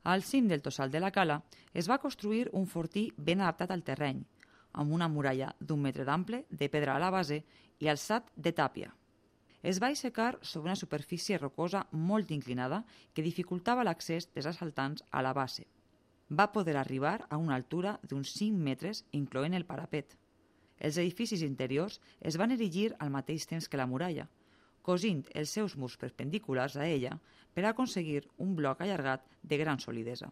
Al cim del Tossal de la Cala es va construir un fortí ben adaptat al terreny, amb una muralla d'1 metre d'ample de pedra a la base i alçat de tàpia. Es va aixecar sobre una superfície rocosa molt inclinada que dificultava l'accés dels assaltants a la base. Va poder arribar a una altura d'uns 5 metres, incloent el parapet. Els edificis interiors es van erigir al mateix temps que la muralla, cosint els seus murs perpendiculars a ella per aconseguir un bloc allargat de gran solidesa.